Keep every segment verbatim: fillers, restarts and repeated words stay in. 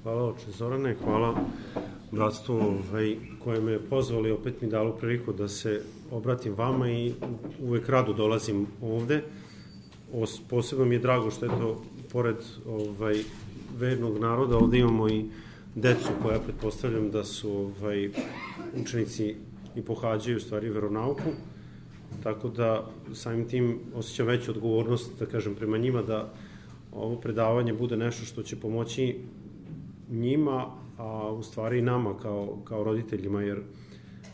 Hvala oče Zorane, hvala bratstvu ovaj, koje me je pozvalo i opet mi dalo priliku da se obratim vama i uvek rado dolazim ovde. Os, posebno mi je drago što je to, pored ovaj, vernog naroda, ovde imamo i decu koja pretpostavljam da su ovaj, učenici i pohađaju u stvari veronauku, tako da samim tim osjećam veću odgovornost, da kažem, prema njima, da ovo predavanje bude nešto što će pomoći njima, a u stvari i nama kao, kao roditeljima, jer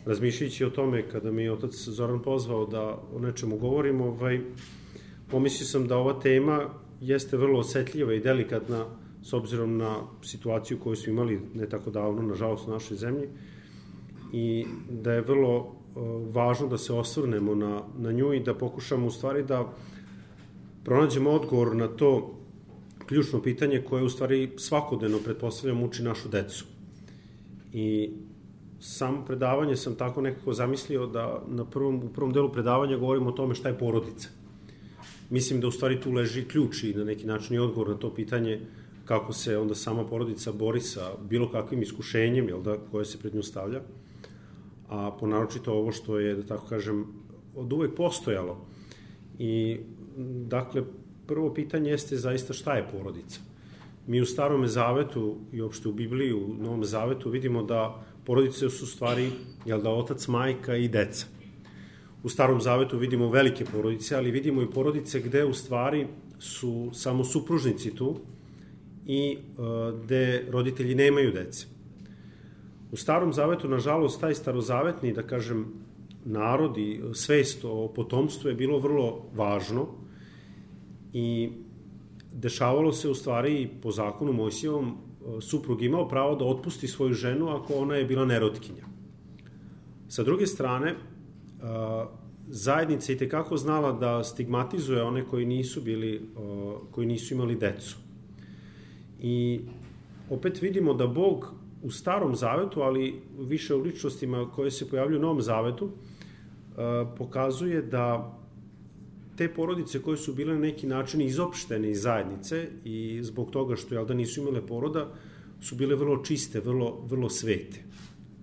razmišljajući o tome, kada mi je otac Zoran pozvao da o nečemu govorim, ovaj, pomislio sam da ova tema jeste vrlo osetljiva i delikatna s obzirom na situaciju koju smo imali ne tako davno, nažalost, u našoj zemlji, i da je vrlo uh, važno da se osvrnemo na, na nju i da pokušamo u stvari da pronađemo odgovor na to ključno pitanje koje u stvari svakodnevno, pretpostavljam, uči našu decu. I samo predavanje sam tako nekako zamislio da na prvom, u prvom delu predavanja govorimo o tome šta je porodica. Mislim da u stvari tu leži ključ i na neki način i odgovor na to pitanje kako se onda sama porodica bori sa bilo kakvim iskušenjem, jel da, koje se pred nju stavlja, a ponaročito ovo što je, da tako kažem, od uvek postojalo. I, dakle, prvo pitanje jeste zaista šta je porodica. Mi u Starom zavetu i uopšte u Bibliji, u Novom zavetu vidimo da porodice su stvari, jel da, otac, majka i deca. U Starom zavetu vidimo velike porodice, ali vidimo i porodice gde u stvari su samo supružnici tu i uh, gde roditelji nemaju dece. U Starom zavetu, nažalost, taj starozavetni, da kažem, narod i svest o potomstvu je bilo vrlo važno i dešavalo se u stvari po zakonu Mojsijevom, suprug imao pravo da otpusti svoju ženu ako ona je bila nerotkinja. Sa druge strane, zajednica je tekako znala da stigmatizuje one koji nisu bili, koji nisu imali decu. I opet vidimo da Bog u Starom zavetu, ali više u ličnostima koje se pojavljuju u Novom zavetu, pokazuje da te porodice koje su bile na neki način izopštene iz zajednice i zbog toga što, jel da, nisu imale poroda, su bile vrlo čiste, vrlo, vrlo svete.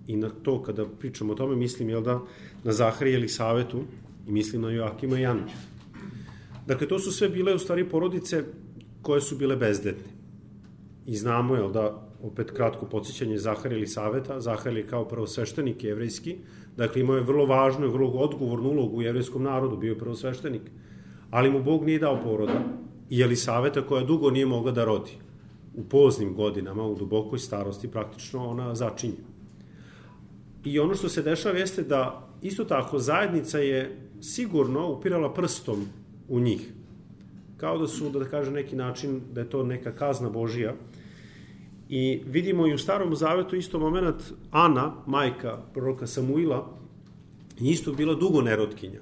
I na to, kada pričamo o tome, mislim, jel da, na Zaharija i Elisavetu i mislim na Joakima i Anu. Dakle, to su sve bile u stvari porodice koje su bile bezdetne. I znamo, jel da, opet kratko podsjećanje Zaharija i Elisaveta. Zaharija je kao prvosveštenik jevrejski, dakle imao je vrlo važnu i vrlo odgovornu ulogu u jevrejskom narodu, bio je prvosveštenik, ali mu Bog nije dao poroda, i Elisaveta koja dugo nije mogla da rodi. U poznim godinama, u dubokoj starosti, praktično ona začinje. I ono što se dešava jeste da isto tako zajednica je sigurno upirala prstom u njih. Kao da su, da kaže neki način, da je to neka kazna Božija. I vidimo i u Starom zavetu isto moment Ana, majka proroka Samuila, isto bila dugo nerotkinja.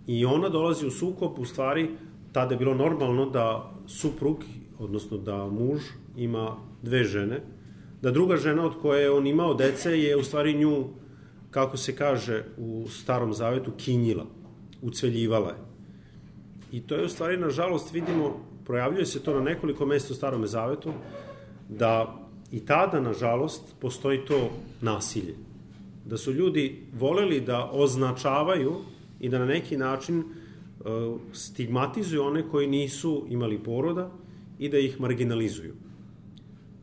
I ona dolazi u sukob, u stvari, tada je bilo normalno da suprug, odnosno da muž ima dve žene, da druga žena od koje je on imao dece je u stvari nju, kako se kaže u Starom zavetu, kinjila, ucveljivala je. I to je u stvari, nažalost, vidimo, projavljuje se to na nekoliko mesta u Starom zavetu, da i tada, nažalost, postoji to nasilje. Da su ljudi voleli da označavaju i da na neki način uh, stigmatizuju one koji nisu imali poroda i da ih marginalizuju.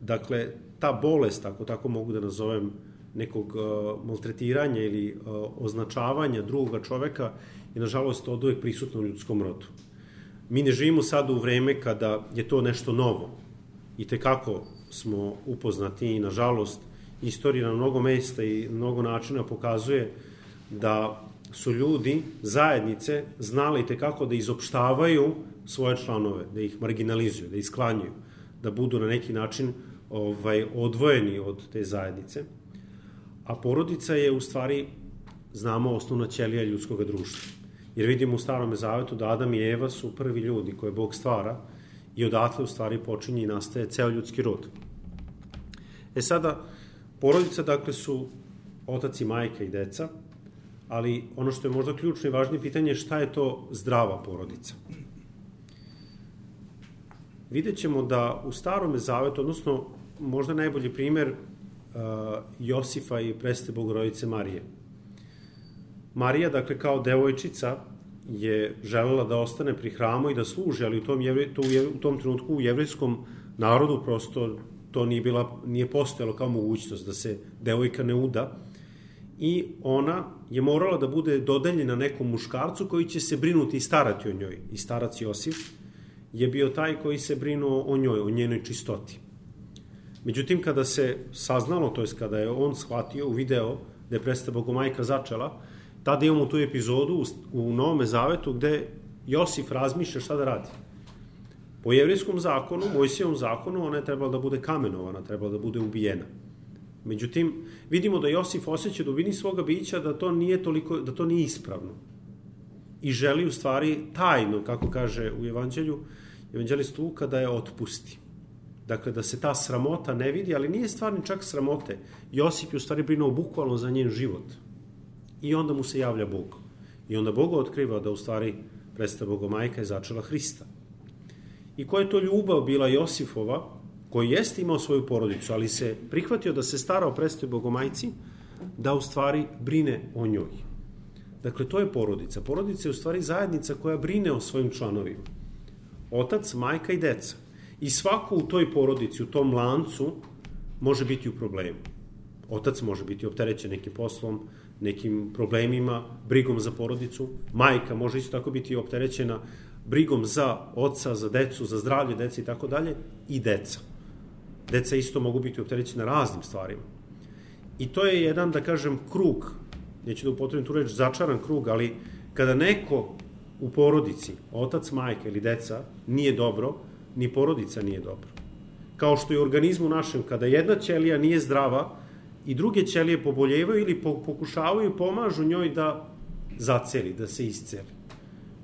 Dakle, ta bolest, ako tako mogu da nazovem, nekog uh, maltretiranja ili uh, označavanja drugoga čoveka je, nažalost, od uvek prisutno u ljudskom rodu. Mi ne živimo sad u vreme kada je to nešto novo. I tekako smo upoznati i, nažalost, istorija na mnogo mesta i mnogo načina pokazuje da su ljudi, zajednice, znali tekako da izopštavaju svoje članove, da ih marginalizuju, da ih sklanjuju, da budu na neki način ovaj, odvojeni od te zajednice. A porodica je, u stvari, znamo, osnovna ćelija ljudskog društva. Jer vidimo u Starom zavetu da Adam i Eva su prvi ljudi koje Bog stvara i odatle, u stvari, počinje i nastaje ceo ljudski rod. E sada, porodica, dakle, su otac i majka i deca, ali ono što je možda ključno i važnije pitanje je šta je to zdrava porodica. Vidjet ćemo da u Starom zavetu, odnosno možda najbolji primer uh, Josifa i Presvete Bogorodice Marije. Marija, dakle, kao devojčica je želela da ostane pri hramu i da služi, ali u tom, jevre, to, u tom trenutku u jevrejskom narodu prosto to nije, bila, nije postojalo kao mogućnost da se devojka ne uda i ona je morala da bude dodeljena nekom muškarcu koji će se brinuti i starati o njoj. I starac Josif je bio taj koji se brinuo o njoj, o njenoj čistoti. Međutim, kada se saznalo, to je kada je on shvatio, uvideo da je Presveta Bogomajka začela, tada imamo tu epizodu u Novome Zavetu gde Josif razmišlja šta da radi. Po jevrijskom zakonu, Mojsijevom zakonu, ona je trebala da bude kamenovana, trebala da bude ubijena. Međutim, vidimo da Josif osjeća dubini svoga bića da to nije toliko, da to nije ispravno. I želi u stvari tajno, kako kaže u Evanđelju, evanđelist Luka, da je otpusti. Dakle, da se ta sramota ne vidi, ali nije stvarni čak sramote. Josip je u stvari brinuo bukvalno za njen život. I onda mu se javlja Bog. I onda Bog otkriva da u stvari Presveta Bogomajka je začela Hrista. I koja je to ljubav bila Josifova, koji jeste imao svoju porodicu, ali se prihvatio da se stara o Presvetoj Bogomajci, da u stvari brine o njoj. Dakle, to je porodica. Porodica je u stvari zajednica koja brine o svojim članovima. Otac, majka i deca. I svako u toj porodici, u tom lancu, može biti u problemu. Otac može biti opterećen nekim poslom, nekim problemima, brigom za porodicu. Majka može isto tako biti opterećena brigom za oca, za decu, za zdravlje dece i tako dalje. I deca. Deca isto mogu biti opterećena raznim stvarima. I to je jedan, da kažem, krug, neću da upotrebim tu reč, začaran krug, ali kada neko u porodici, otac, majka ili deca, nije dobro, ni porodica nije dobro. Kao što je u organizmu našem, kada jedna ćelija nije zdrava i druge ćelije poboljevaju ili pokušavaju, pomažu njoj da zaceli, da se isceli.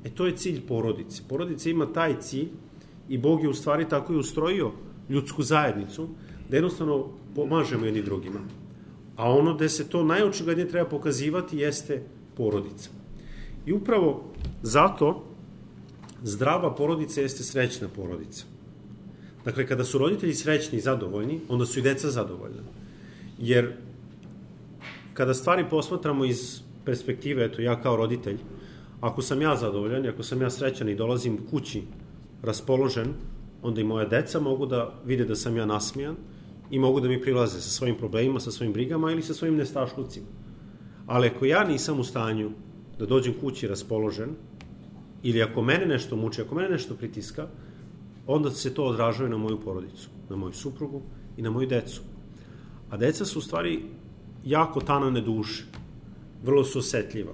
E to je cilj porodice. Porodica ima taj cilj i Bog je u stvari tako i ustrojio ljudsku zajednicu, da jednostavno pomažemo jedni drugima. A ono gde se to najočiglednije treba pokazivati jeste porodica. I upravo zato zdrava porodica jeste srećna porodica. Dakle, kada su roditelji srećni i zadovoljni, onda su i deca zadovoljna. Jer kada stvari posmatramo iz perspektive, eto ja kao roditelj, ako sam ja zadovoljan, ako sam ja srećan i dolazim kući raspoložen, onda i moja deca mogu da vide da sam ja nasmijan i mogu da mi prilaze sa svojim problemima, sa svojim brigama ili sa svojim nestašlucima. Ali ako ja nisam u stanju da dođem kući raspoložen, ili ako mene nešto muči, ako mene nešto pritiska, onda se to odražava na moju porodicu, na moju suprugu i na moju decu. A deca su u stvari jako tanane duše, vrlo su osetljiva.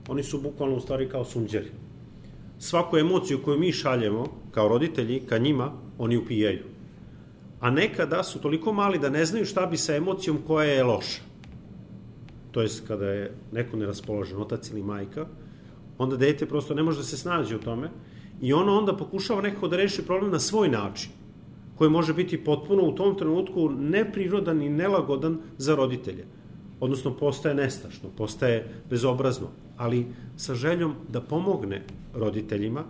Oni su bukvalno u stvari kao sunđeri. Svaku emociju koju mi šaljemo kao roditelji ka njima, oni upijaju. A nekada su toliko mali da ne znaju šta bi sa emocijom koja je loša. To je kada je neko neraspoložen, otac ili majka, onda dete prosto ne može da se snađe u tome i ono onda pokušava nekako da reši problem na svoj način, koji može biti potpuno u tom trenutku neprirodan i nelagodan za roditelje. Odnosno, postaje nestašno, postaje bezobrazno, ali sa željom da pomogne roditeljima,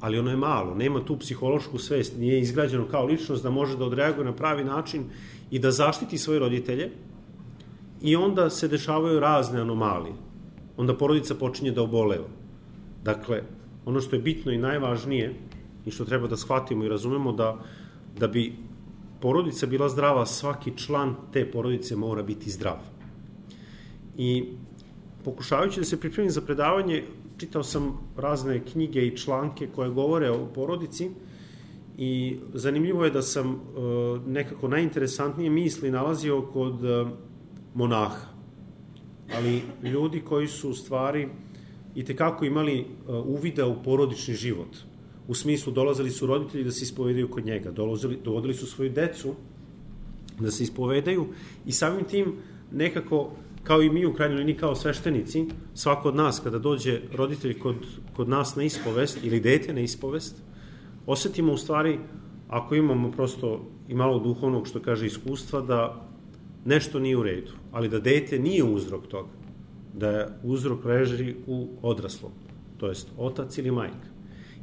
ali ono je malo, nema tu psihološku svest, nije izgrađeno kao ličnost da može da odreaguje na pravi način i da zaštiti svoje roditelje i onda se dešavaju razne anomalije. Onda porodica počinje da oboleva. Dakle, ono što je bitno i najvažnije i što treba da shvatimo i razumemo da, da bi porodica bila zdrava, svaki član te porodice mora biti zdrav. I pokušavajući da se pripremim za predavanje, čitao sam razne knjige i članke koje govore o porodici i zanimljivo je da sam e, nekako najinteresantnije misli nalazio kod e, monaha. Ali ljudi koji su u stvari i tekako imali uh, uvida u porodični život. U smislu, dolazili su roditelji da se ispovedaju kod njega, dolazili, dovodili su svoju decu da se ispovedaju i samim tim nekako, kao i mi u krajnjoj liniji kao sveštenici, svako od nas kada dođe roditelj kod, kod nas na ispovest ili dete na ispovest, osetimo u stvari, ako imamo prosto i malo duhovnog, što kaže, iskustva, da nešto nije u redu, ali da dete nije uzrok toga, da je uzrok leži u odraslom, to jest otac ili majka.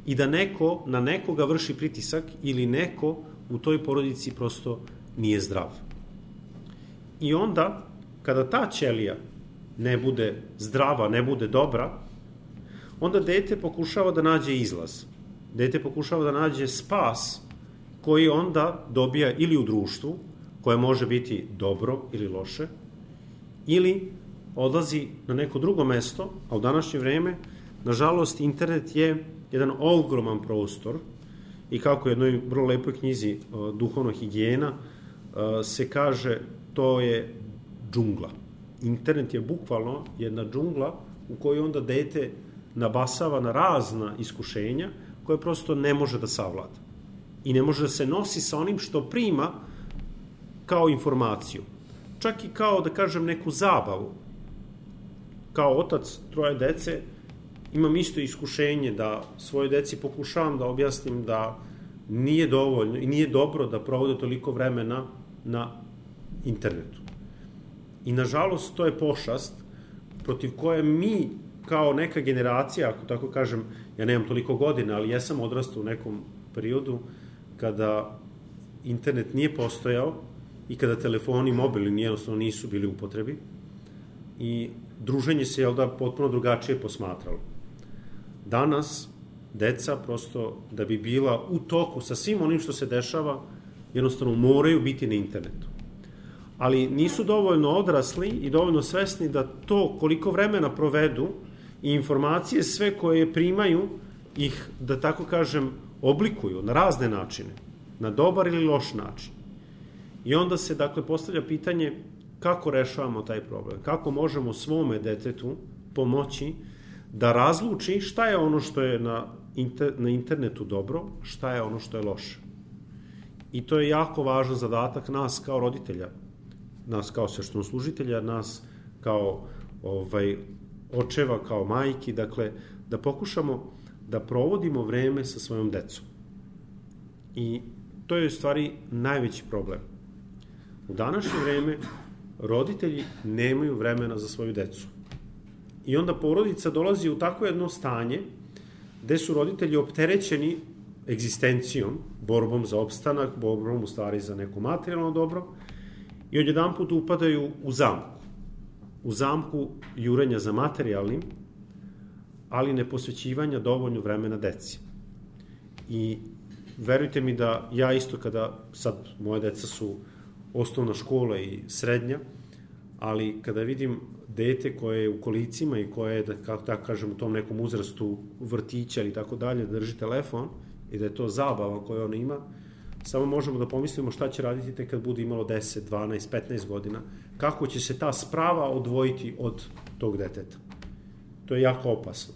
I da neko na nekoga vrši pritisak ili neko u toj porodici prosto nije zdrav. I onda, kada ta ćelija ne bude zdrava, ne bude dobra, onda dete pokušava da nađe izlaz. Dete pokušava da nađe spas koji onda dobija ili u društvu, koje može biti dobro ili loše, ili odlazi na neko drugo mesto, a u današnje vreme, nažalost, internet je jedan ogroman prostor i kako u jednoj vrlo lepoj knjizi Duhovna higijena se kaže, to je džungla. Internet je bukvalno jedna džungla u kojoj onda dete nabasava na razna iskušenja koje prosto ne može da savlada. I ne može da se nosi sa onim što prima kao informaciju. Čak i kao, da kažem, neku zabavu. Kao otac troje dece imam isto iskušenje da svoje deci pokušavam da objasnim da nije dovoljno i nije dobro da provode toliko vremena na internetu. I nažalost to je pošast protiv koje mi kao neka generacija, ako tako kažem, ja nemam toliko godina, ali ja sam odrastao u nekom periodu kada internet nije postojao i kada telefoni mobilni jednostavno nisu bili u upotrebi i druženje se, jel da, potpuno drugačije posmatralo. Danas deca prosto da bi bila u toku sa svim onim što se dešava, jednostavno moraju biti na internetu. Ali nisu dovoljno odrasli i dovoljno svesni da to koliko vremena provedu i informacije sve koje primaju ih, da tako kažem, oblikuju na razne načine, na dobar ili loš način. I onda se, dakle, postavlja pitanje kako rešavamo taj problem, kako možemo svome detetu pomoći da razluči šta je ono što je na, inter, na internetu dobro, šta je ono što je loše. I to je jako važan zadatak nas kao roditelja, nas kao sveštenoslужitelja, nas kao ovaj, očeva, kao majki, dakle, da pokušamo da provodimo vreme sa svojom decom. I to je u stvari najveći problem. U današnje vreme roditelji nemaju vremena za svoju decu. I onda porodica dolazi u takvo jedno stanje gde su roditelji opterećeni egzistencijom, borbom za opstanak, borbom u stvari za neko materijalno dobro i odjedan put upadaju u zamku. U zamku jurenja za materijalnim, ali ne posvećivanja dovoljno vremena deci. I verujte mi da ja isto kada, sad moje deca su osnovna škola i srednja, ali kada vidim dete koje je u kolicima i koje je, da, kako tako kažem, u tom nekom uzrastu vrtića ili tako dalje, drži telefon i da je to zabava koju ona ima, samo možemo da pomislimo šta će raditi tek kad bude imalo deset, dvanaest, petnaest godina, kako će se ta sprava odvojiti od tog deteta. To je jako opasno.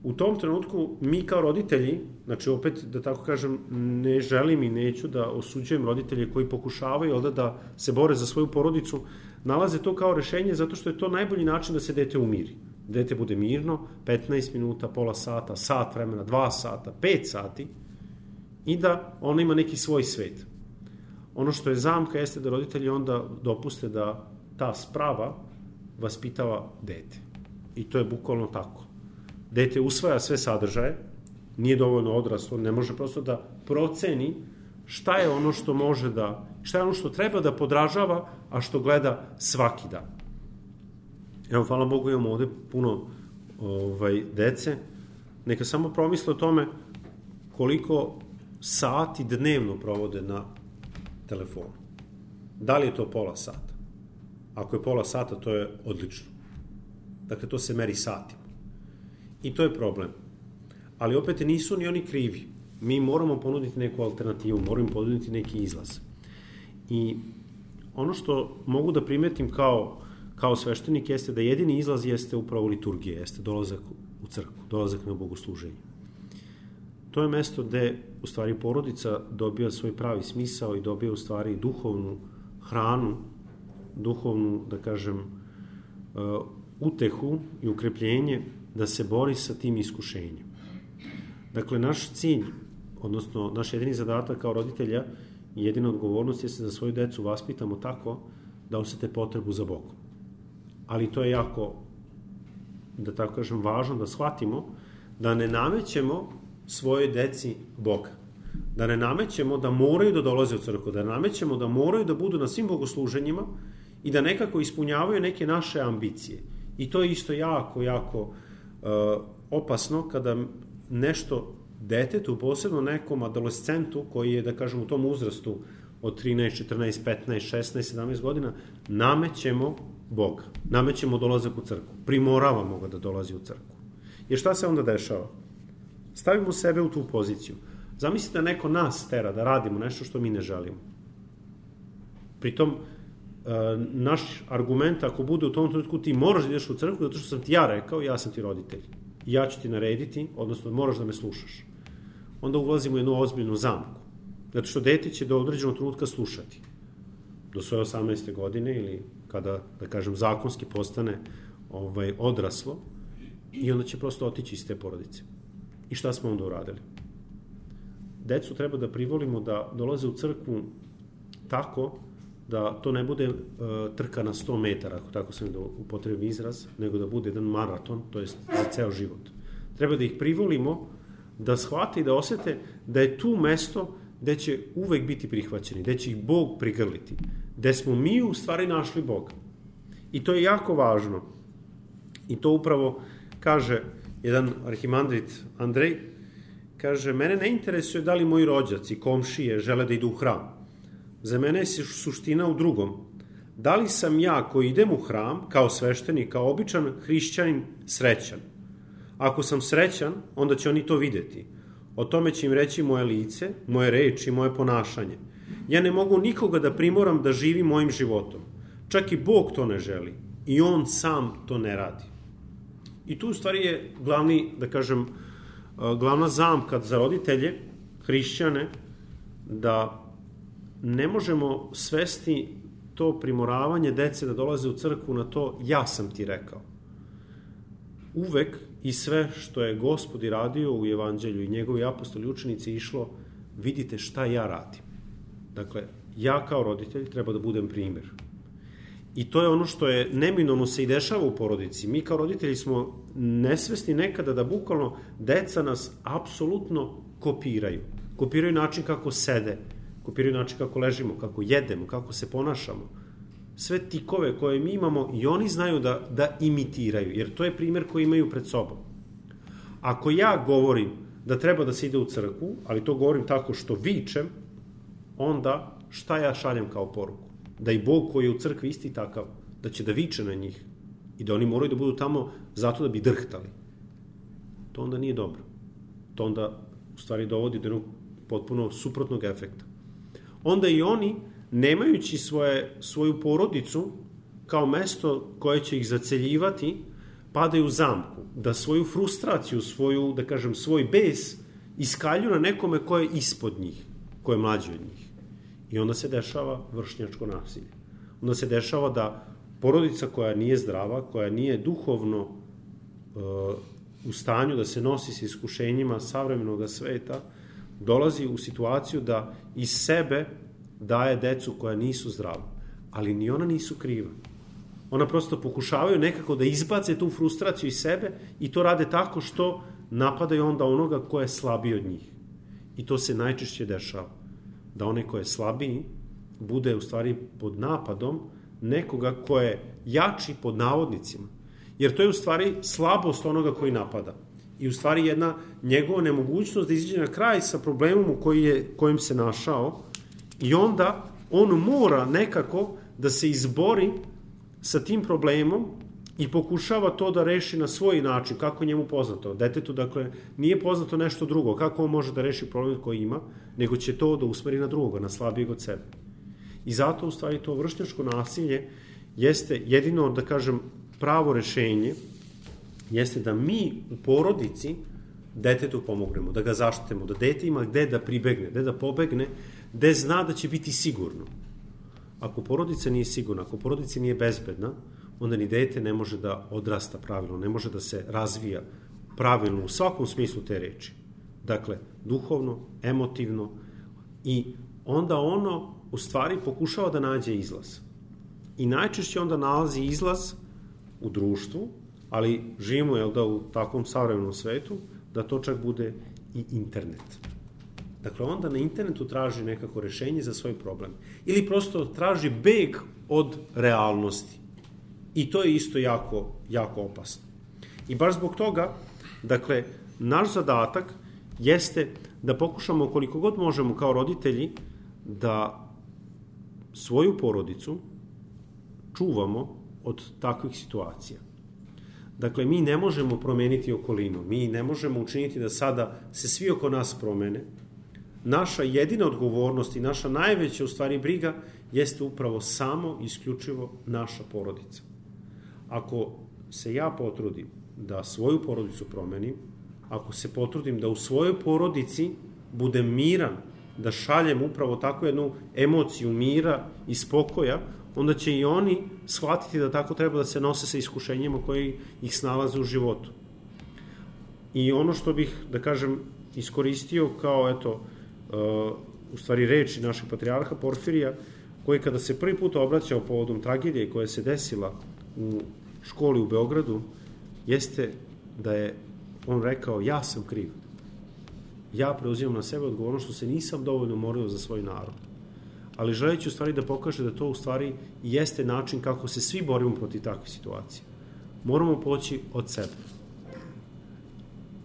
U tom trenutku mi kao roditelji, znači opet da tako kažem, ne želim i neću da osuđujem roditelje koji pokušavaju onda da se bore za svoju porodicu, nalaze to kao rešenje zato što je to najbolji način da se dete umiri. Dete bude mirno, petnaest minuta, pola sata, sat vremena, dva sata, pet sati i da ono ima neki svoj svet. Ono što je zamka jeste da roditelji onda dopuste da ta sprava vaspitava dete. I to je bukvalno tako. Dete usvaja sve sadržaje, nije dovoljno odraslo, ne može prosto da proceni šta je ono što može da, šta je ono što treba da podražava, a što gleda svaki dan. Evo, hvala Bogu, imamo ovde puno ovaj, dece. Neka samo promisle o tome koliko sati dnevno provode na telefonu. Da li je to pola sata? Ako je pola sata, to je odlično. Dakle, to se meri satima. I to je problem. Ali opet nisu ni oni krivi. Mi moramo ponuditi neku alternativu, moramo ponuditi neki izlaz. I ono što mogu da primetim kao, kao sveštenik jeste da jedini izlaz jeste upravo liturgija, jeste dolazak u crkvu, dolazak na bogosluženje. To je mesto gde u stvari porodica dobija svoj pravi smisao i dobija u stvari duhovnu hranu, duhovnu, da kažem, utehu i ukrepljenje da se bori sa tim iskušenjem. Dakle, naš cilj, odnosno naš jedini zadatak kao roditelja i jedina odgovornost je se da svoju decu vaspitamo tako da osete potrebu za Bogom. Ali to je jako, da tako kažem, važno da shvatimo da ne namećemo svojoj deci Boga. Da ne namećemo da moraju da dolaze u crkvu, da ne namećemo da moraju da budu na svim bogosluženjima i da nekako ispunjavaju neke naše ambicije. I to je isto jako, jako uh, opasno kada nešto detetu, posebno nekom adolescentu koji je, da kažem, u tom uzrastu od trinaest, četrnaest, petnaest, šesnaest, sedamnaest godina, namećemo Boga, namećemo dolazak u crkvu, primoravamo ga da dolazi u crkvu. Jer šta se onda dešava? Stavimo sebe u tu poziciju. Zamislite da neko nas tera da radimo nešto što mi ne želimo. Pritom, naš argument, ako bude u tom trenutku ti moraš da ideš u crkvu, zato što sam ti ja rekao, ja sam ti roditelj. I ja ću ti narediti, odnosno moraš da me slušaš. Onda ulazimo u jednu ozbiljnu zamku. Zato što dete će do određenog trenutka slušati. Do svoje osamnaeste godine ili kada, da kažem, zakonski postane ovaj, odraslo i onda će prosto otići iz te porodice. I šta smo onda uradili? Decu treba da privolimo da dolaze u crkvu tako da to ne bude uh, trka na sto metara, ako tako sam da upotrebim izraz, nego da bude jedan maraton, to je za ceo život. Treba da ih privolimo da shvate i da osete da je tu mesto gde će uvek biti prihvaćeni, gde će ih Bog prigrliti, gde smo mi u stvari našli Boga. I to je jako važno. I to upravo kaže jedan arhimandrit Andrej, kaže, mene ne interesuje da li moji rođaci, komšije žele da idu u hram. Za mene je suština u drugom. Da li sam ja koji idem u hram, kao sveštenik, kao običan hrišćanin, srećan? Ako sam srećan, onda će oni to videti. O tome će im reći moje lice, moje reči, moje ponašanje. Ja ne mogu nikoga da primoram da živi mojim životom. Čak i Bog to ne želi. I On sam to ne radi. I tu u stvari je glavni, da kažem, glavna zamka za roditelje, hrišćane, da ne možemo svesti to primoravanje dece da dolaze u crkvu na to ja sam ti rekao. Uvek i sve što je Gospod i radio u evanđelju i njegovi apostoli učenici išlo, vidite šta ja radim. Dakle, ja kao roditelj treba da budem primjer. I to je ono što je neminovno se i dešava u porodici. Mi kao roditelji smo nesvesni nekada da bukvalno deca nas apsolutno kopiraju. Kopiraju način kako sede, kopiraju način kako ležimo, kako jedemo, kako se ponašamo. Sve tikove koje mi imamo i oni znaju da, da imitiraju, jer to je primjer koji imaju pred sobom. Ako ja govorim da treba da se ide u crkvu, ali to govorim tako što vičem, onda šta ja šaljem kao poruku? Da i Bog koji je u crkvi isti takav, da će da viče na njih i da oni moraju da budu tamo zato da bi drhtali. To onda nije dobro. To onda u stvari dovodi do jednog potpuno suprotnog efekta. Onda i oni, nemajući svoje, svoju porodicu kao mesto koje će ih zaceljivati, padaju u zamku, da svoju frustraciju, svoju, da kažem, svoj bes iskalju na nekome ko je ispod njih, ko je mlađi od njih. I onda se dešava vršnjačko nasilje. Onda se dešava da porodica koja nije zdrava, koja nije duhovno uh, u stanju da se nosi s iskušenjima savremenog sveta, dolazi u situaciju da iz sebe daje decu koja nisu zdrava. Ali ni ona nisu kriva. Ona prosto pokušavaju nekako da izbace tu frustraciju iz sebe i to rade tako što napadaju onda onoga ko je slabiji od njih. I to se najčešće dešava. Da onaj ko je slabiji bude u stvari pod napadom nekoga ko je jači pod navodnicima. Jer to je u stvari slabost onoga koji napada. I u stvari jedna njegova nemogućnost da izađe na kraj sa problemom u koji je, kojim se našao i onda on mora nekako da se izbori sa tim problemom i pokušava to da reši na svoj način, kako njemu poznato. Detetu, dakle, nije poznato nešto drugo, kako on može da reši problem koji ima, nego će to da usmeri na drugoga, na slabijeg od sebe. I zato, u stvari, to vršnjačko nasilje jeste jedino, da kažem, pravo rešenje, jeste da mi u porodici detetu pomognemo, da ga zaštitemo, da dete ima gde da pribegne, gde da pobegne, gde zna da će biti sigurno. Ako porodica nije sigurna, ako porodica nije bezbedna, onda ni dete ne može da odrasta pravilno, ne može da se razvija pravilno u svakom smislu te reči. Dakle, duhovno, emotivno i onda ono u stvari pokušava da nađe izlaz. I najčešće onda nalazi izlaz u društvu, ali živimo, jel da, u takvom savremenom svetu, da to čak bude i internet. Dakle, onda na internetu traži nekako rešenje za svoj problem. Ili prosto traži beg od realnosti. I to je isto jako, jako opasno. I baš zbog toga, dakle, naš zadatak jeste da pokušamo koliko god možemo kao roditelji da svoju porodicu čuvamo od takvih situacija. Dakle, mi ne možemo promeniti okolinu, mi ne možemo učiniti da sada se svi oko nas promene. Naša jedina odgovornost i naša najveća u stvari briga jeste upravo samo isključivo naša porodica. Ako se ja potrudim da svoju porodicu promenim, ako se potrudim da u svojoj porodici budem miran, da šaljem upravo takvu jednu emociju mira i spokoja, onda će i oni shvatiti da tako treba da se nose sa iskušenjima koji ih snalaze u životu. I ono što bih, da kažem, iskoristio kao, eto, uh, u stvari reči našeg patrijarha Porfirija, koji kada se prvi put obraćao povodom tragedije koja se desila u školi u Beogradu, jeste da je on rekao, ja sam kriv. Ja preuzimam na sebe odgovornost što se nisam dovoljno morio za svoj narod. Ali želeći u stvari da pokaže da to u stvari jeste način kako se svi borimo protiv takve situacije. Moramo poći od sebe.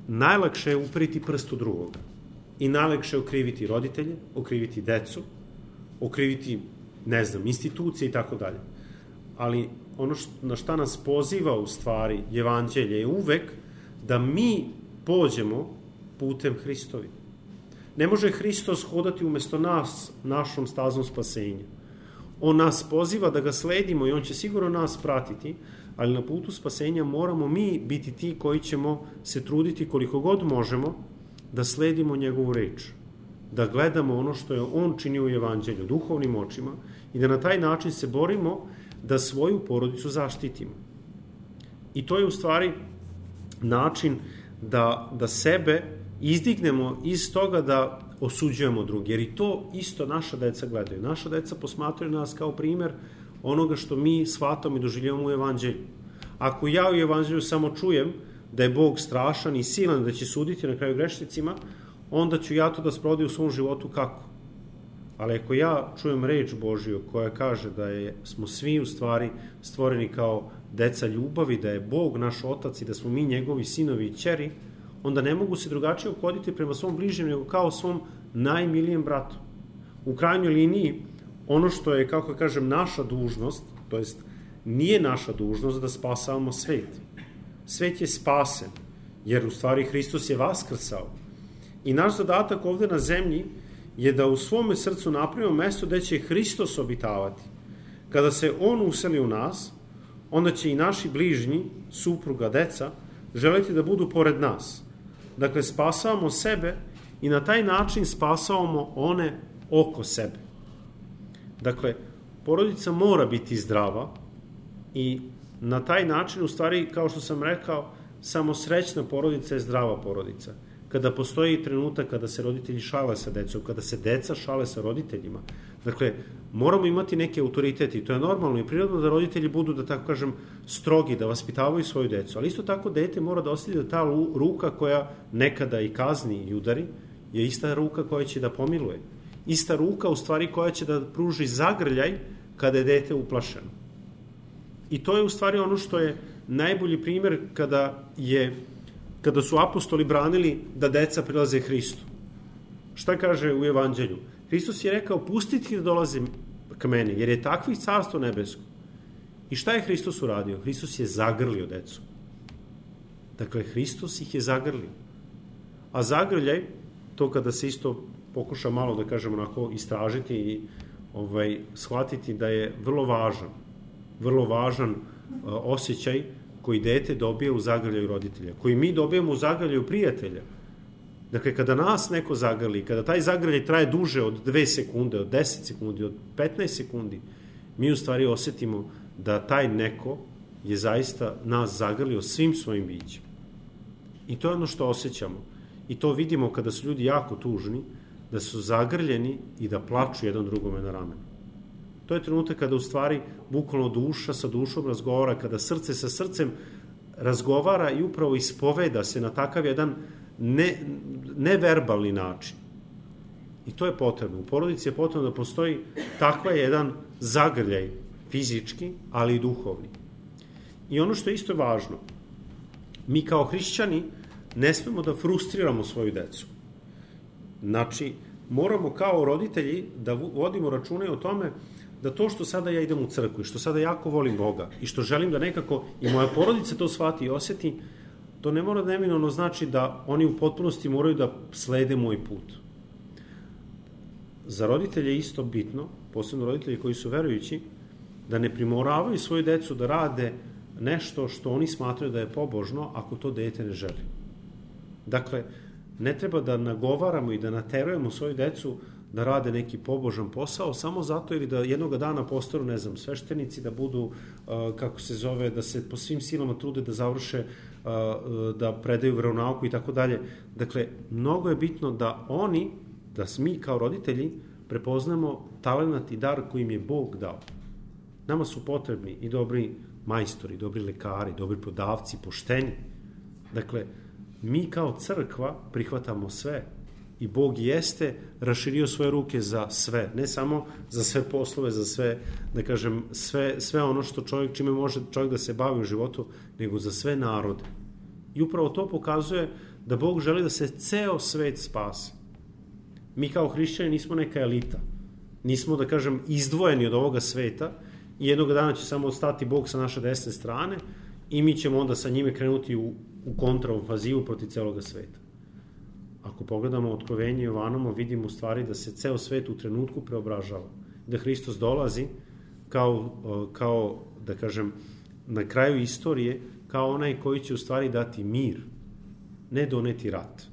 Najlakše je uperiti prst u drugoga. I najlakše je okriviti roditelje, okriviti decu, okriviti, ne znam, institucije i tako dalje. Ali ono što, na šta nas poziva u stvari evanđelje je uvek da mi pođemo putem Hristovi. Ne može Hristos hodati umesto nas našom stazom spasenja. On nas poziva da ga sledimo i on će sigurno nas pratiti, ali na putu spasenja moramo mi biti ti koji ćemo se truditi koliko god možemo da sledimo njegovu reč, da gledamo ono što je on činio u evanđelju, duhovnim očima i da na taj način se borimo da svoju porodicu zaštitimo. I to je u stvari način da, da sebe izdignemo iz toga da osuđujemo drugi, jer i to isto naša deca gledaju. Naša deca posmatraju nas kao primer onoga što mi shvatamo i doživljavamo u evanđelju. Ako ja u evanđelju samo čujem da je Bog strašan i silan, da će suditi na kraju grešnicima, onda ću ja to da sprovodim u svom životu kako? Ali ako ja čujem reč Božiju koja kaže da je, smo svi u stvari stvoreni kao deca ljubavi, da je Bog naš otac i da smo mi njegovi sinovi i ćeri, onda ne mogu se drugačije ophoditi prema svom bližnjem nego kao svom najmilijem bratu. U krajnjoj liniji, ono što je, kako kažem, naša dužnost, to jest nije naša dužnost da spasavamo svet. Svet je spasen, jer u stvari Hristos je vaskrsao. I naš zadatak ovde na zemlji je da u svome srcu napravimo mesto gde će Hristos obitavati. Kada se on useli u nas, onda će i naši bližnji, supruga, deca, želiti da budu pored nas. Dakle, spasavamo sebe i na taj način spasavamo one oko sebe. Dakle, porodica mora biti zdrava i na taj način, u stvari, kao što sam rekao, samo srećna porodica je zdrava porodica. Kada postoji trenutak kada se roditelji šale sa decom, kada se deca šale sa roditeljima. Dakle, moramo imati neke autoriteti. To je normalno i prirodno da roditelji budu, da tako kažem, strogi, da vaspitavaju svoju decu. Ali isto tako dete mora da osjeti da ta ruka koja nekada i kazni i udari je ista ruka koja će da pomiluje. Ista ruka, u stvari, koja će da pruži zagrljaj kada je dete uplašeno. I to je u stvari ono što je najbolji primer kada je kada su apostoli branili da deca prilaze Hristu. Šta kaže u evanđelju? Hristos je rekao, pustite da dolaze k meni, jer je takvih carstvo nebesko. I šta je Hristos uradio? Hristos je zagrlio decu. Dakle, Hristos ih je zagrlio. A zagrljaj, to kada se isto pokuša malo, da kažemo, onako istražiti i ovaj, shvatiti da je vrlo važan, vrlo važan uh, osjećaj koji dete dobije u zagrljaju roditelja, koji mi dobijemo u zagrljaju prijatelja. Dakle, kada nas neko zagrli, kada taj zagrljaj traje duže od dve sekunde, od deset sekundi, od petnaest sekundi, mi u stvari osetimo da taj neko je zaista nas zagrlio svim svojim bićem. I to je ono što osjećamo. I to vidimo kada su ljudi jako tužni, da su zagrljeni i da plaču jedan drugome na ramenu. To je trenutak kada u stvari bukvalno duša sa dušom razgovara, kada srce sa srcem razgovara i upravo ispoveda se na takav jedan ne, neverbalni način. I to je potrebno. U porodici je potrebno da postoji takva jedan zagrljaj fizički, ali i duhovni. I ono što je isto važno, mi kao hrišćani ne smemo da frustriramo svoju decu. Znači, moramo kao roditelji da vodimo račune o tome da to što sada ja idem u crkvu i što sada jako volim Boga i što želim da nekako i moja porodica to shvati i osjeti, to ne mora neminovno znači da oni u potpunosti moraju da slede moj put. Za roditelje je isto bitno, posebno roditelji koji su verujući, da ne primoravaju svoju decu da rade nešto što oni smatraju da je pobožno ako to dete ne želi. Dakle, ne treba da nagovaramo i da naterujemo svoju decu da rade neki pobožan posao samo zato ili da jednog dana postanu, ne znam, sveštenici, da budu, kako se zove, da se po svim silama trude da završe, da predaju veronauku i tako dalje. Dakle, mnogo je bitno da oni, da mi kao roditelji prepoznamo talenat i dar koji im je Bog dao. Nama su potrebni i dobri majstori, dobri lekari, dobri prodavci, pošteni. Dakle, mi kao crkva prihvatamo sve i Bog jeste raširio svoje ruke za sve, ne samo za sve poslove, za sve, da kažem, sve, sve ono što čovjek, čime može čovjek da se bavi u životu, nego za sve narode. I upravo to pokazuje da Bog želi da se ceo svet spasi. Mi kao hrišćani nismo neka elita, nismo, da kažem, izdvojeni od ovoga sveta i jednog dana će samo ostati Bog sa naše desne strane i mi ćemo onda sa njime krenuti u, u kontraofazivu protiv celoga sveta. Ako pogledamo Otkrovenje Jovanovo, vidimo u stvari da se ceo svet u trenutku preobražava. Da Hristos dolazi kao, kao, da kažem, na kraju istorije, kao onaj koji će u stvari dati mir, ne doneti rat.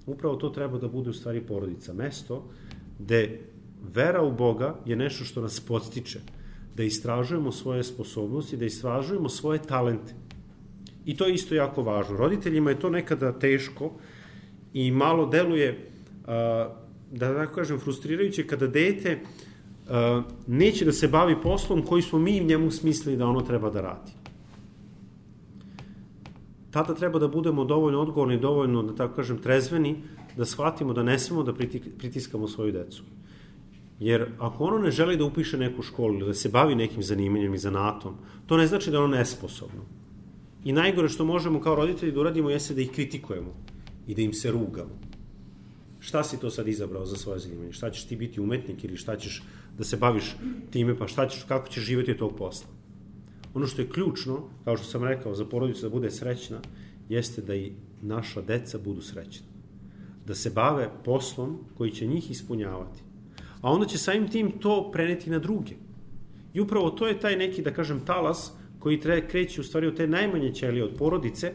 Upravo to treba da bude u stvari porodica. Mesto gde vera u Boga je nešto što nas podstiče, da istražujemo svoje sposobnosti, da istražujemo svoje talente. I to je isto jako važno. Roditeljima je to nekada teško i malo deluje, da tako kažem, frustrirajuće kada dete neće da se bavi poslom koji smo mi njemu smislili da ono treba da radi. Tada treba da budemo dovoljno odgovorni, dovoljno, da tako kažem, trezveni, da shvatimo da ne smemo da pritiskamo svoju decu. Jer ako ono ne želi da upiše neku školu ili da se bavi nekim zanimanjem i zanatom, to ne znači da je ono nesposobno. I najgore što možemo kao roditelji da uradimo jeste da ih kritikujemo i da im se rugamo. Šta si to sad izabrao za svoje zanimanje? Šta ćeš ti biti umetnik ili šta ćeš da se baviš time, pa šta ćeš, kako ćeš živjeti od tog posla? Ono što je ključno, kao što sam rekao, za porodicu da bude srećna, jeste da i naša deca budu srećna. Da se bave poslom koji će njih ispunjavati. A onda će samim tim to preneti na druge. I upravo to je taj neki, da kažem, talas koji tre, kreće u stvari od te najmanje ćelije, od porodice,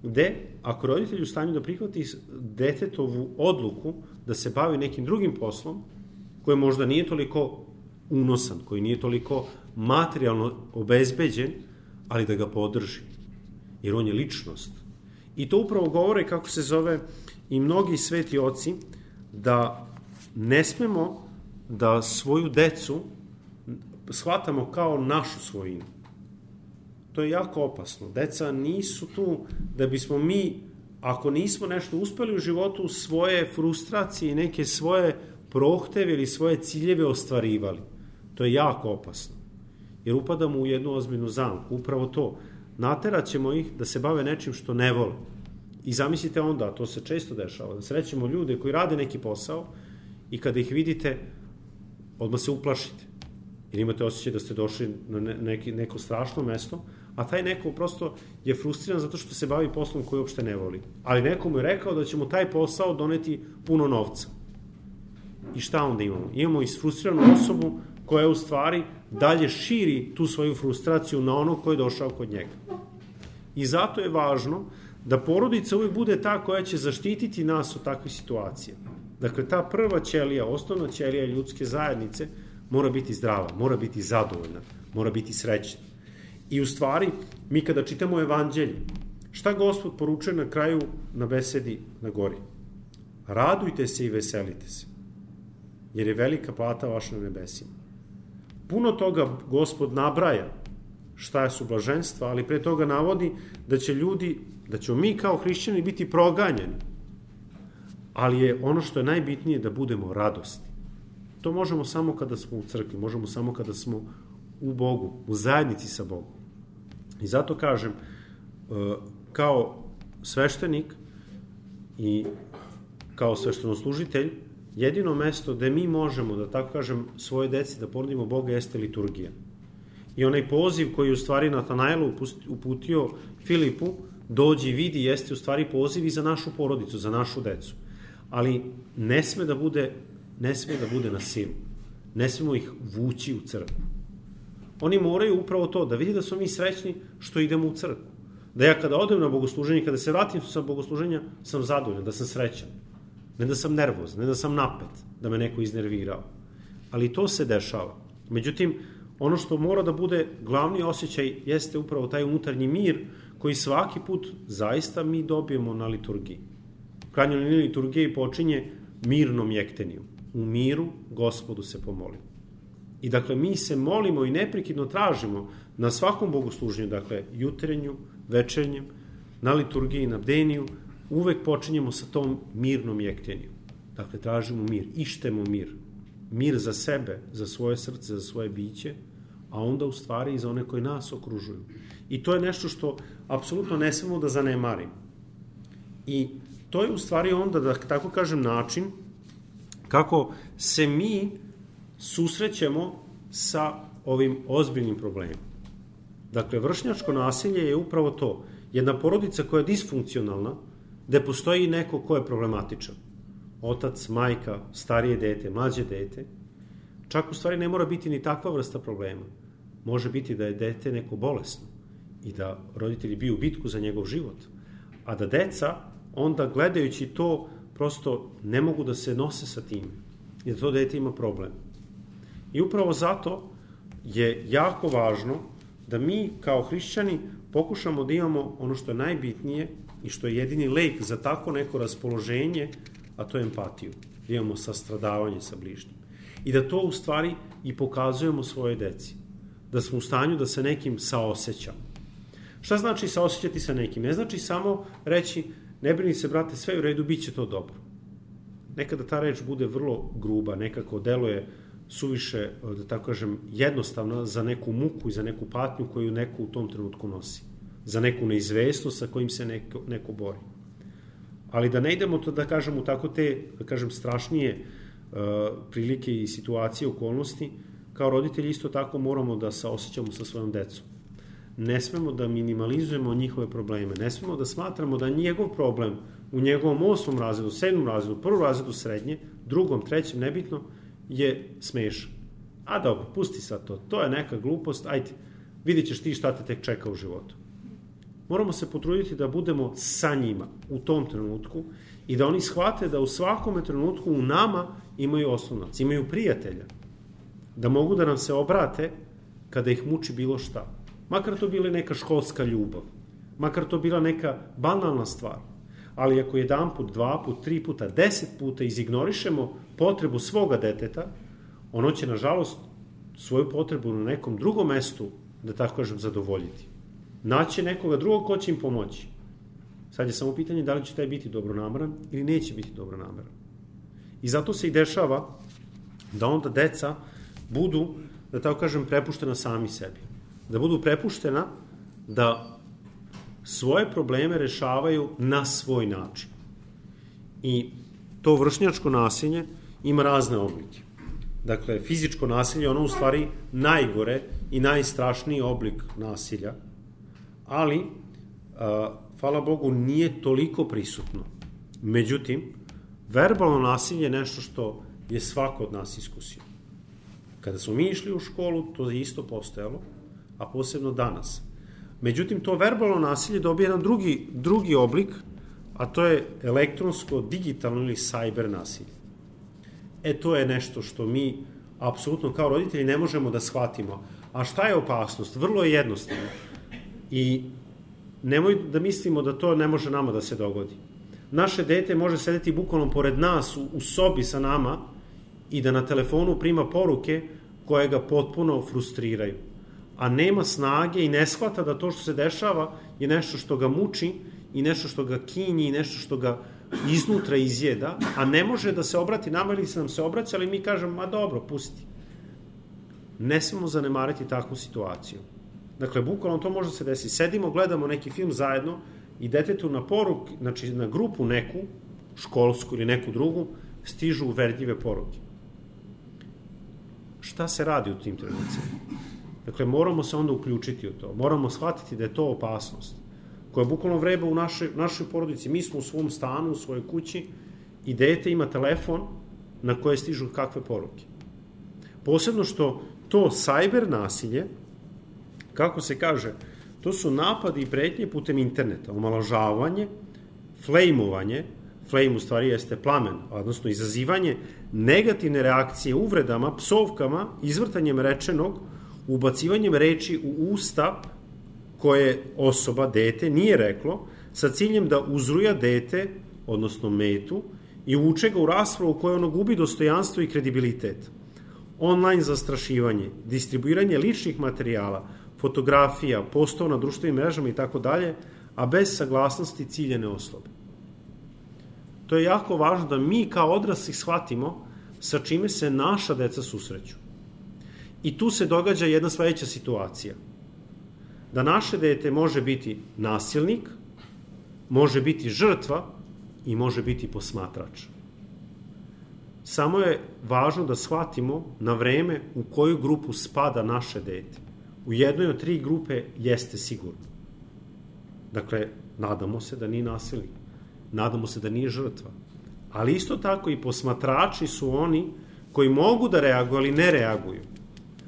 gde, ako roditelj u stanju da prihvati detetovu odluku da se bavi nekim drugim poslom, koji možda nije toliko unosan, koji nije toliko materijalno obezbeđen, ali da ga podrži. Jer on je ličnost. I to upravo govore, kako se zove, i mnogi sveti oci, da ne smemo da svoju decu shvatamo kao našu svojinu. To je jako opasno. Deca nisu tu da bismo mi, ako nismo nešto uspeli u životu, svoje frustracije i neke svoje prohteve ili svoje ciljeve ostvarivali. To je jako opasno. Jer upadamo u jednu ozbiljnu zamku. Upravo to. Naterat ćemo ih da se bave nečim što ne vole. I zamislite onda, to se često dešava, da srećemo ljude koji rade neki posao i kada ih vidite, odmah se uplašite. Jer imate osjećaj da ste došli na neki, neko strašno mesto, a taj neko prosto je frustriran zato što se bavi poslom koji uopšte ne voli. Ali neko mu je rekao da će mu taj posao doneti puno novca. I šta onda imamo? Imamo isfrustriranu osobu koja u stvari dalje širi tu svoju frustraciju na ono ko je došao kod njega. I zato je važno da porodica uvijek bude ta koja će zaštititi nas od takvih situacija. Dakle, ta prva ćelija, osnovna ćelija ljudske zajednice mora biti zdrava, mora biti zadovoljna, mora biti srećna. I u stvari, mi kada čitamo evanđelje, šta Gospod poručuje na kraju na besedi na gori? Radujte se i veselite se, jer je velika plata vaša na nebesima. Puno toga Gospod nabraja šta su blaženstva, ali pre toga navodi da će ljudi, da ćemo mi kao hrišćani biti proganjani. ali je ono što je najbitnije da budemo radosni. To možemo samo kada smo u crkvi, možemo samo kada smo u Bogu, u zajednici sa Bogom. I zato kažem, kao sveštenik i kao sveštenoslužitelj, jedino mesto gde mi možemo, da tako kažem, svoje deci da ponudimo Boga jeste liturgija. I onaj poziv koji u stvari Natanailu uputio Filipu, dođi i vidi, jeste u stvari poziv i za našu porodicu, za našu decu. Ali ne sme da bude, ne sme da bude na silu. Ne smemo ih vući u crkvu. Oni moraju upravo to, da vidi da smo mi srećni što idemo u crkvu. Da ja kada odem na bogosluženje, kada se vratim sa bogosluženja, sam zadovoljan, da sam srećan. Ne da sam nervozan, ne da sam napet, da me neko iznervirao. Ali to se dešava. Međutim, ono što mora da bude glavni osjećaj jeste upravo taj unutarnji mir koji svaki put zaista mi dobijemo na liturgiji. Krajnja linija liturgije počinje mirnom jekteniju. U miru Gospodu se pomolimo. I dakle, mi se molimo i neprekidno tražimo na svakom bogosluženju, dakle, jutrenju, večernjem, na liturgiji, na bdeniju, uvek počinjemo sa tom mirnom jekteniju. Dakle, tražimo mir, ištemo mir. Mir za sebe, za svoje srce, za svoje biće, a onda u stvari i za one koji nas okružuju. I to je nešto što apsolutno ne smemo da zanemarimo. I to je u stvari onda, da tako kažem, način kako se mi susrećemo sa ovim ozbiljnim problemima. Dakle, vršnjačko nasilje je upravo to. Jedna porodica koja je disfunkcionalna, gde postoji neko ko je problematičan. Otac, majka, starije dete, mlađe dete. Čak u stvari ne mora biti ni takva vrsta problema. Može biti da je dete neko bolesno i da roditelji biju bitku za njegov život. A da deca, onda gledajući to, prosto ne mogu da se nose sa tim. I da to dete ima problem. I upravo zato je jako važno da mi kao hrišćani pokušamo da imamo ono što je najbitnije i što je jedini lek za tako neko raspoloženje, a to je empatiju. Da imamo sastradavanje sa bližnjim. I da to u stvari i pokazujemo svoje deci. Da smo u stanju da se nekim saosećamo. Šta znači saosećati sa nekim? Ne znači samo reći, ne brini se, brate, sve u redu, bit će to dobro. Nekada ta reč bude vrlo gruba, nekako deluje suviše, da tako kažem, jednostavna za neku muku i za neku patnju koju neko u tom trenutku nosi. Za neku neizvesnost sa kojim se neko, neko bori. Ali da ne idemo to, da kažem, u tako te, da kažem, strašnije uh, prilike i situacije, okolnosti, kao roditelji isto tako moramo da saosećamo sa svojom decom. Ne smemo da minimalizujemo njihove probleme, ne smemo da smatramo da njegov problem u njegovom osmom razredu, sedmom razredu, prvom razredu srednje, drugom, trećem, nebitno, je smešan. A dobro, pusti sad to, to je neka glupost, ajde, vidit ćeš ti šta te tek čeka u životu. Moramo se potruditi da budemo sa njima u tom trenutku i da oni shvate da u svakome trenutku u nama imaju oslonac, imaju prijatelja, da mogu da nam se obrate kada ih muči bilo šta. Makar to bila neka školska ljubav, makar to bila neka banalna stvar, ali ako jedan put, dva put, tri puta, deset puta izignorišemo potrebu svoga deteta, ono će, nažalost, svoju potrebu na nekom drugom mestu, da tako kažem, zadovoljiti. Naći nekoga drugog ko će im pomoći. Sad je samo pitanje da li će taj biti dobronameran ili neće biti dobronameran. I zato se i dešava da onda deca budu, da tako kažem, prepuštena sami sebi. Da budu prepuštena da svoje probleme rešavaju na svoj način. I to vršnjačko nasilje ima razne oblike. Dakle, fizičko nasilje je ono u stvari najgore i najstrašniji oblik nasilja, ali, a, hvala Bogu, nije toliko prisutno. Međutim, verbalno nasilje je nešto što je svako od nas iskusio. Kada smo mi išli u školu, to je isto postojalo, a posebno danas. Međutim, to verbalno nasilje dobije jedan drugi, drugi oblik, a to je elektronsko, digitalno ili cyber nasilje. E, to je nešto što mi apsolutno kao roditelji ne možemo da shvatimo. A šta je opasnost? Vrlo je jednostavno. I nemoj da mislimo da to ne može nama da se dogodi. Naše dete može sedeti bukvalno pored nas u, u sobi sa nama i da na telefonu prima poruke koje ga potpuno frustriraju. A nema snage i ne shvata da to što se dešava je nešto što ga muči i nešto što ga kinji i nešto što ga iznutra izjeda, a ne može da se obrati nama ili se nam se obraća, ali mi kažemo, ma dobro, pusti. Ne smemo zanemariti takvu situaciju. Dakle, bukvalno to može se desiti. Sedimo, gledamo neki film zajedno i detetu na poruk, znači na grupu neku, školsku ili neku drugu, stižu uverdljive poruke. Šta se radi u tim trenucima? Dakle, moramo se onda uključiti u to. Moramo shvatiti da je to opasnost koja bukvalno vreba u našoj, našoj porodici. Mi smo u svom stanu, u svojoj kući i dete ima telefon na koje stižu kakve poruke. Posebno što to cyber nasilje, kako se kaže, to su napadi i pretnje putem interneta, omalovažavanje, flejmovanje, flame u stvari jeste plamen, odnosno izazivanje negativne reakcije uvredama, psovkama, izvrtanjem rečenog, ubacivanjem reči u usta koje osoba, dete, nije reklo, sa ciljem da uzruja dete, odnosno metu, i uvuče ga u raspravu koja ono gubi dostojanstvo i kredibilitet. Online zastrašivanje, distribuiranje ličnih materijala, fotografija, postova na društvenim mrežama i tako dalje, a bez saglasnosti ciljene osobe. To je jako važno da mi kao odrasli shvatimo sa čime se naša deca susreću. I tu se događa jedna sledeća situacija. Da naše dete može biti nasilnik, može biti žrtva i može biti posmatrač. Samo je važno da shvatimo na vreme u koju grupu spada naše dete. U jednoj od tri grupe jeste sigurno. Dakle, nadamo se da nije nasilnik. Nadamo se da nije žrtva. Ali isto tako i posmatrači su oni koji mogu da reaguju, ali ne reaguju.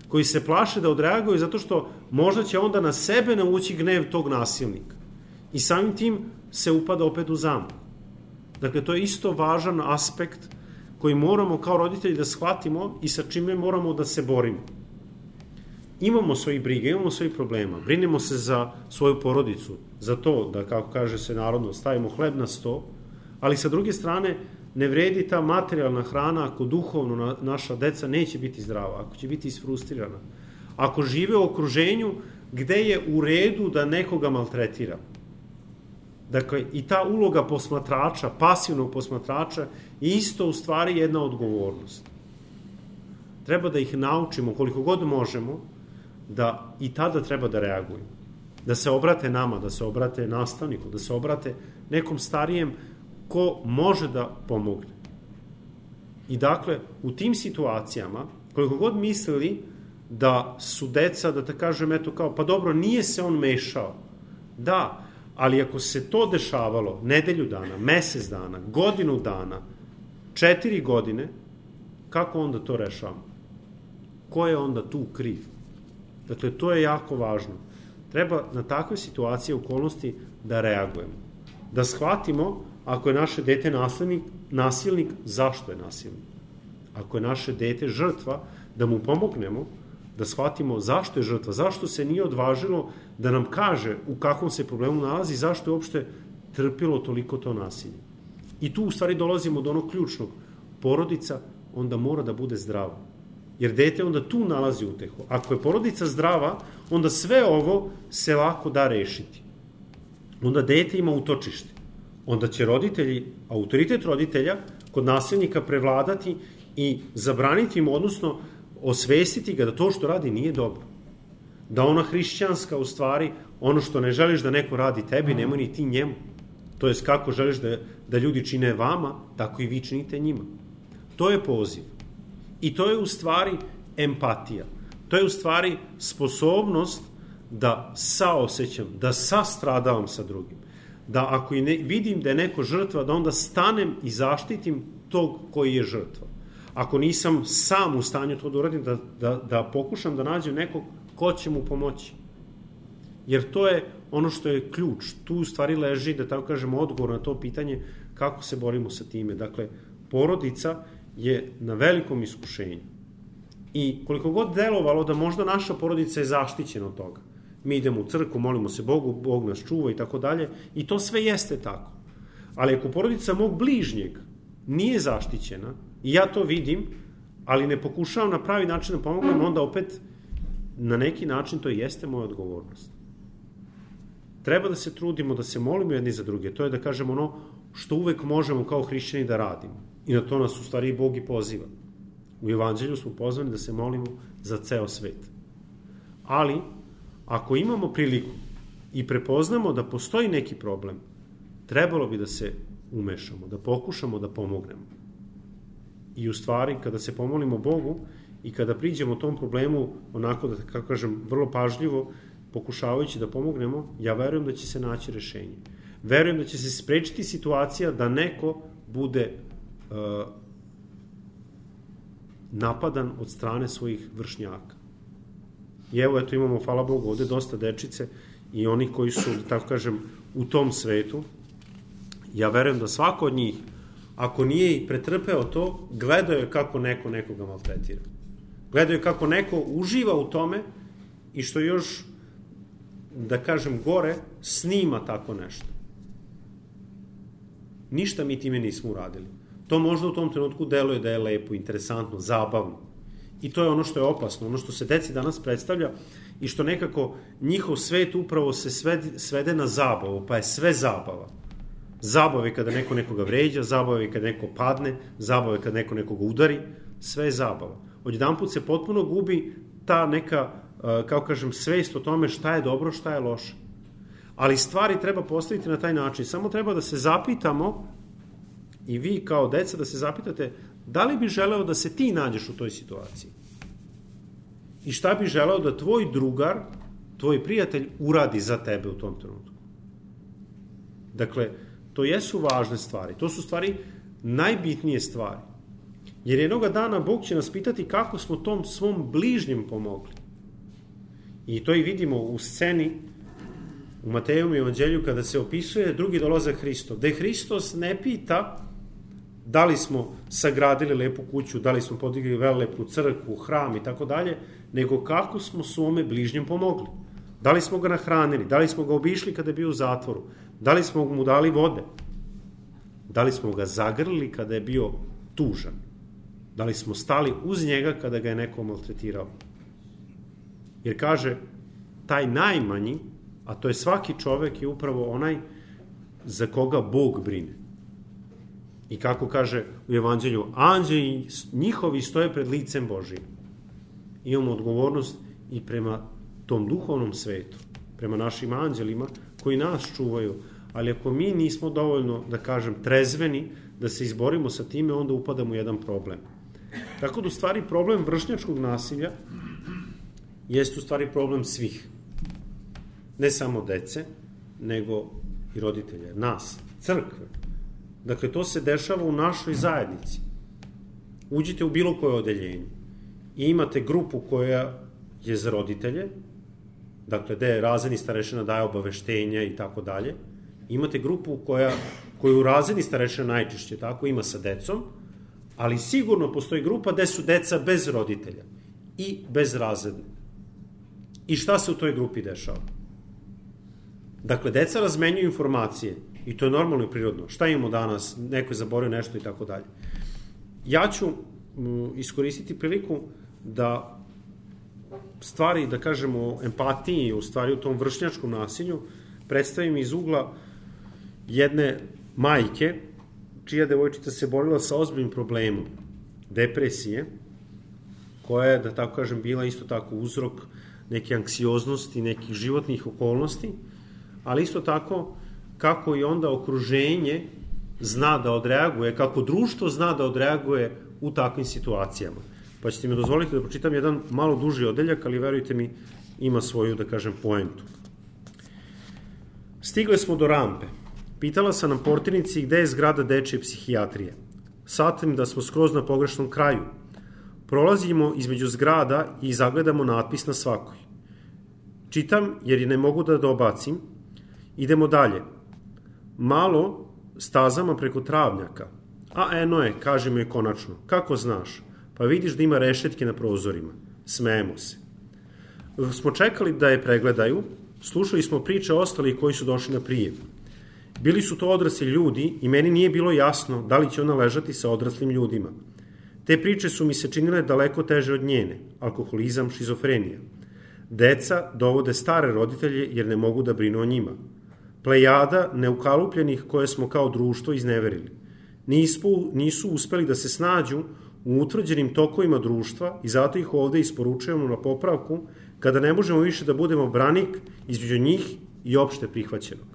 Koji se plaše da odreaguju zato što možda će onda na sebe navući gnev tog nasilnika. I samim tim se upada opet u zamku. Dakle, to je isto važan aspekt koji moramo kao roditelji da shvatimo i sa čime moramo da se borimo. Imamo svojih briga, imamo svojih problema, brinemo se za svoju porodicu, za to da, kako kaže se narodno, stavimo hleb na sto, ali sa druge strane ne vredi ta materijalna hrana ako duhovno naša deca neće biti zdrava, ako će biti isfrustrirana, ako žive u okruženju gde je u redu da nekoga maltretira. Dakle, i ta uloga posmatrača, pasivnog posmatrača, je isto u stvari jedna odgovornost. Treba da ih naučimo koliko god možemo, da i tada treba da reaguju. Da se obrate nama, da se obrate nastavniku, da se obrate nekom starijem ko može da pomogne. I dakle, u tim situacijama, koliko god mislili da su deca, da te kažem, eto kao, pa dobro, nije se on mešao. Da, ali ako se to dešavalo nedelju dana, mesec dana, godinu dana, četiri godine, kako onda to rešavamo? Ko je onda tu kriv? Dakle, to je jako važno. Treba na takve situacije, okolnosti da reagujemo. Da shvatimo, ako je naše dete nasilnik, nasilnik, zašto je nasilnik? Ako je naše dete žrtva, da mu pomognemo, da shvatimo zašto je žrtva, zašto se nije odvažilo da nam kaže u kakvom se problemu nalazi, zašto je uopšte trpilo toliko to nasilje. I tu u stvari dolazimo do onog ključnog. Porodica onda mora da bude zdrava. Jer dete onda tu nalazi utehu. Ako je porodica zdrava, onda sve ovo se lako da rešiti. Onda dete ima utočište. Onda će roditelji, autoritet roditelja, kod nasilnika prevladati i zabraniti im, odnosno osvestiti ga da to što radi nije dobro. Da ona hrišćanska, u stvari, ono što ne želiš da neko radi tebi, nemoj ni ti njemu. To jest kako želiš da, da ljudi čine vama, tako i vi činite njima. To je poziv. I to je u stvari empatija. To je u stvari sposobnost da saosećam, da sastradavam sa drugim. Da ako ne, vidim da je neko žrtva, da onda stanem i zaštitim tog koji je žrtva. Ako nisam sam u stanju to da uradim, da, da, da pokušam da nađem nekog ko će mu pomoći. Jer to je ono što je ključ. Tu u stvari leži, da tako kažemo, odgovor na to pitanje kako se borimo sa time. Dakle, porodica je na velikom iskušenju. I koliko god delovalo da možda naša porodica je zaštićena od toga. Mi idemo u crkvu, molimo se Bogu, Bog nas čuva i tako dalje. I to sve jeste tako. Ali ako porodica mog bližnjeg nije zaštićena, i ja to vidim, ali ne pokušavam na pravi način da pomognem, onda opet na neki način to jeste moja odgovornost. Treba da se trudimo, da se molimo jedni za druge. To je da kažemo ono, što uvek možemo kao hrišćani da radimo. I na to nas u stvari i Bog i poziva. U Evanđelju smo pozvani da se molimo za ceo svet. Ali, ako imamo priliku i prepoznamo da postoji neki problem, trebalo bi da se umešamo, da pokušamo da pomognemo. I u stvari, kada se pomolimo Bogu i kada priđemo tom problemu, onako da, kako kažem, vrlo pažljivo, pokušavajući da pomognemo, ja verujem da će se naći rešenje. Verujem da će se sprečiti situacija da neko bude uh, napadan od strane svojih vršnjaka. I evo, eto, imamo, hvala Bogu, ovde dosta dečice i oni koji su, tako kažem, u tom svetu. Ja verujem da svako od njih, ako nije i pretrpeo to, gledao je kako neko nekoga maltretira. Gledao je kako neko uživa u tome i što još, da kažem, gore, snima tako nešto. Ništa mi time nismo uradili. To možda u tom trenutku deluje da je lepo, interesantno, zabavno. I to je ono što je opasno, ono što se deci danas predstavlja i što nekako njihov svet upravo se svede, svede na zabavu, pa je sve zabava. Zabava je kada neko nekoga vređa, zabava je kada neko padne, zabava je kada neko nekoga udari, sve je zabava. Odjedanput se potpuno gubi ta neka, kao kažem, svest o tome šta je dobro, šta je loše. Ali stvari treba postaviti na taj način. Samo treba da se zapitamo, i vi kao deca da se zapitate, da li bi želeo da se ti nađeš u toj situaciji? I šta bi želeo da tvoj drugar, tvoj prijatelj uradi za tebe u tom trenutku? Dakle, to jesu važne stvari. To su stvari najbitnije stvari. Jer jednoga dana Bog će nas pitati kako smo tom svom bližnjem pomogli. I to i vidimo u sceni u Matejevom evanđelju kada se opisuje drugi dolazak Hristov, gde Hristos ne pita da li smo sagradili lepu kuću, da li smo podigli velelepnu crkvu, hram i tako dalje, nego kako smo svome bližnjem pomogli. Da li smo ga nahranili, da li smo ga obišli kada je bio u zatvoru, da li smo mu dali vode, da li smo ga zagrlili kada je bio tužan, da li smo stali uz njega kada ga je neko maltretirao. Jer kaže, taj najmanji, a to je svaki čovek, je upravo onaj za koga Bog brine. I kako kaže u Evanđelju, anđeli njihovi stoje pred licem Božijim. Imamo odgovornost i prema tom duhovnom svetu, prema našim anđelima koji nas čuvaju, ali ako mi nismo dovoljno, da kažem, trezveni da se izborimo sa time, onda upadamo u jedan problem. Tako da u stvari problem vršnjačkog nasilja jeste u stvari problem svih. Ne samo dece, nego i roditelja, nas, crkve. Dakle, to se dešava u našoj zajednici. Uđite u bilo koje odeljenje i imate grupu koja je za roditelje, dakle, gde razredni starešina daje obaveštenja i tako dalje. Imate grupu koja, koju razredni starešina najčešće tako ima sa decom, ali sigurno postoji grupa gde su deca bez roditelja i bez razredne. I šta se u toj grupi dešava? Dakle, deca razmenjuju informacije i to je normalno i prirodno. Šta imamo danas? Neko je zaboravio nešto i tako dalje. Ja ću iskoristiti priliku da stvari, da kažemo, o empatiji, u stvari u tom vršnjačkom nasilju, predstavim iz ugla jedne majke, čija devojčica se borila sa ozbiljnim problemom depresije, koja je, da tako kažem, bila isto tako uzrok neke anksioznosti, nekih životnih okolnosti, ali isto tako kako i onda okruženje zna da odreaguje, kako društvo zna da odreaguje u takvim situacijama. Pa ćete mi dozvoliti da pročitam jedan malo duži odeljak, ali verujte mi, ima svoju, da kažem, poentu. Stigle smo do rampe. Pitala sam na portirnici gde je zgrada dečje psihijatrije. Shvatim da smo skroz na pogrešnom kraju. Prolazimo između zgrada i zagledamo natpis na svakoj. Čitam jer ne mogu da dobacim. Idemo dalje. Malo stazama preko travnjaka. A eno je, kaže mi je konačno. Kako znaš? Pa vidiš da ima rešetke na prozorima. Smejemo se. Smo čekali da je pregledaju, slušali smo priče ostalih koji su došli na prijem. Bili su to odrasli ljudi i meni nije bilo jasno da li će ona ležati sa odraslim ljudima. Te priče su mi se činile daleko teže od njene. Alkoholizam, šizofrenija. Deca dovode stare roditelje jer ne mogu da brinu o njima. plejada neukalupljenih koje smo kao društvo izneverili. Nisu, nisu uspeli da se snađu u utvrđenim tokovima društva i zato ih ovde isporučujemo na popravku kada ne možemo više da budemo branik između njih i opšte prihvaćenog.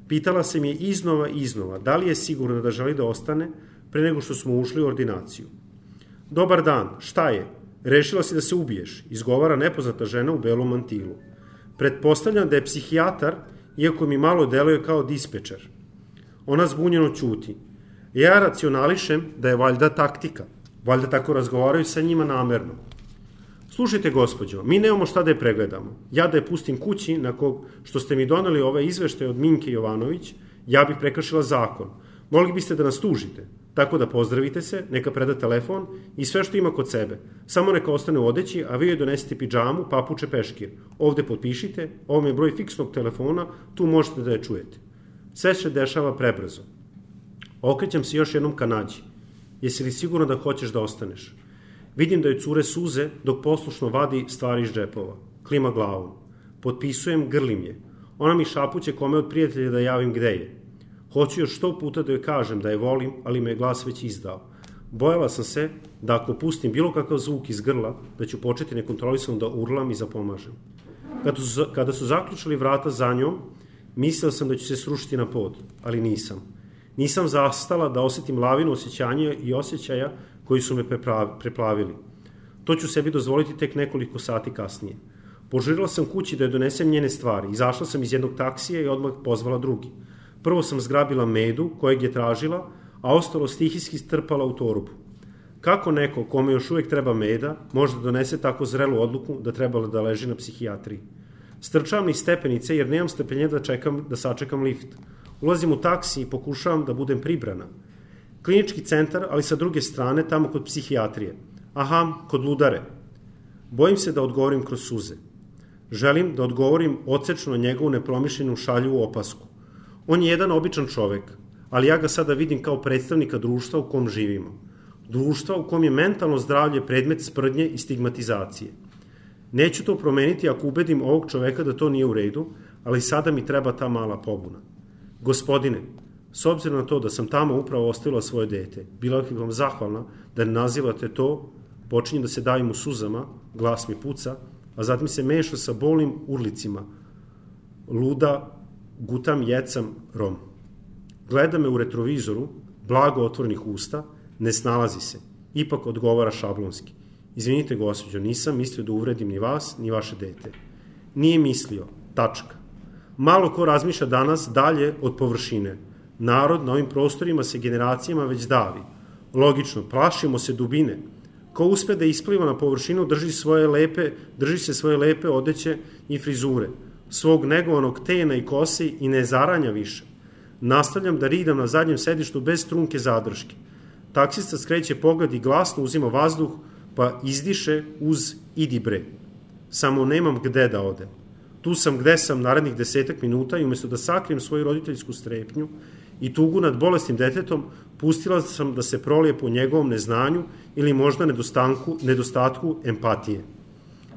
Pitala se mi je iznova i iznova da li je sigurno da želi da ostane pre nego što smo ušli u ordinaciju. Dobar dan, šta je? Rešila si da se ubiješ, izgovara nepoznata žena u belom mantilu. Pretpostavljam da je psihijatar, iako mi malo deluje kao dispečer. Ona zbunjeno ćuti. Ja racionališem da je valjda taktika. Valjda tako razgovaraju sa njima namerno. Slušajte, gospođo, mi nemamo šta da je pregledamo. Ja da je pustim kući, nakon što ste mi doneli ove izveštaje od Minke Jovanović, ja bih prekršila zakon. Mogli biste da nas tužite. Tako da pozdravite se, neka preda telefon i sve što ima kod sebe. Samo neka ostane u odeći, a vi joj donesete pidžamu, papuče, peškir. Ovde potpišite, ovo je broj fiksnog telefona, tu možete da je čujete. Sve se dešava prebrzo. Okrećam se još jednom ka Nađi. Jesi li sigurno da hoćeš da ostaneš? Vidim da joj cure suze dok poslušno vadi stvari iz džepova. Klima glavom. Potpisujem, grlim je. Ona mi šapuće kome od prijatelja da javim gde je. Hoću još sto puta da joj kažem da je volim, ali me je glas već izdao. Bojala sam se da ako pustim bilo kakav zvuk iz grla, da ću početi nekontrolisano da urlam i zapomažem. Kada su, kada su zaključali vrata za njom, mislila sam da ću se srušiti na pod, ali nisam. Nisam zastala da osetim lavinu osjećanja i osjećaja koji su me preplavili. To ću sebi dozvoliti tek nekoliko sati kasnije. Požurila sam kući da joj donesem njene stvari. Izašla sam iz jednog taksija i odmah pozvala drugi. Prvo sam zgrabila medu kojeg je tražila, a ostalo stihijski strpala u torbu. Kako neko kome još uvijek treba meda može da donese tako zrelu odluku da trebala da leži na psihijatriji? Strčavam niz stepenice jer nemam strpljenja da, čekam, da sačekam lift. Ulazim u taksi i pokušavam da budem pribrana. Klinički centar, ali sa druge strane, tamo kod psihijatrije. Aha, kod ludare. Bojim se da odgovorim kroz suze. Želim da odgovorim odsečno na njegovu nepromišljenu šaljivu opasku. On je jedan običan čovek, ali ja ga sada vidim kao predstavnika društva u kom živimo. Društva u kom je mentalno zdravlje predmet sprdnje i stigmatizacije. Neću to promeniti ako ubedim ovog čoveka da to nije u redu, ali sada mi treba ta mala pobuna. Gospodine, s obzirom na to da sam tamo upravo ostavila svoje dete, bila bih vam zahvalna da ne nazivate to, počinjem da se davim u suzama, glas mi puca, a zatim se meša sa bolnim urlicima. Luda, gutam, jecam, rom. Gleda me u retrovizoru, blago otvorenih usta, ne snalazi se. Ipak odgovara šablonski. Izvinite, gospođo, nisam mislio da uvredim ni vas, ni vaše dete. Nije mislio, tačka. Malo ko razmišlja danas dalje od površine. Narod na ovim prostorima se generacijama već davi. Logično, plašimo se dubine. Ko uspe da ispliva na površinu, drži, svoje lepe, drži se svoje lepe odeće i frizure, svog negovanog tena i kosi i ne zaranja više. Nastavljam da ridam na zadnjem sedištu bez trunke zadrške. Taksista skreće pogled i glasno uzima vazduh, pa izdiše uz idi bre. Samo nemam gde da odem. Tu sam gde sam narednih desetak minuta i umjesto da sakrijem svoju roditeljsku strepnju i tugu nad bolesnim detetom, pustila sam da se prolije po njegovom neznanju ili možda nedostatku, nedostatku empatije.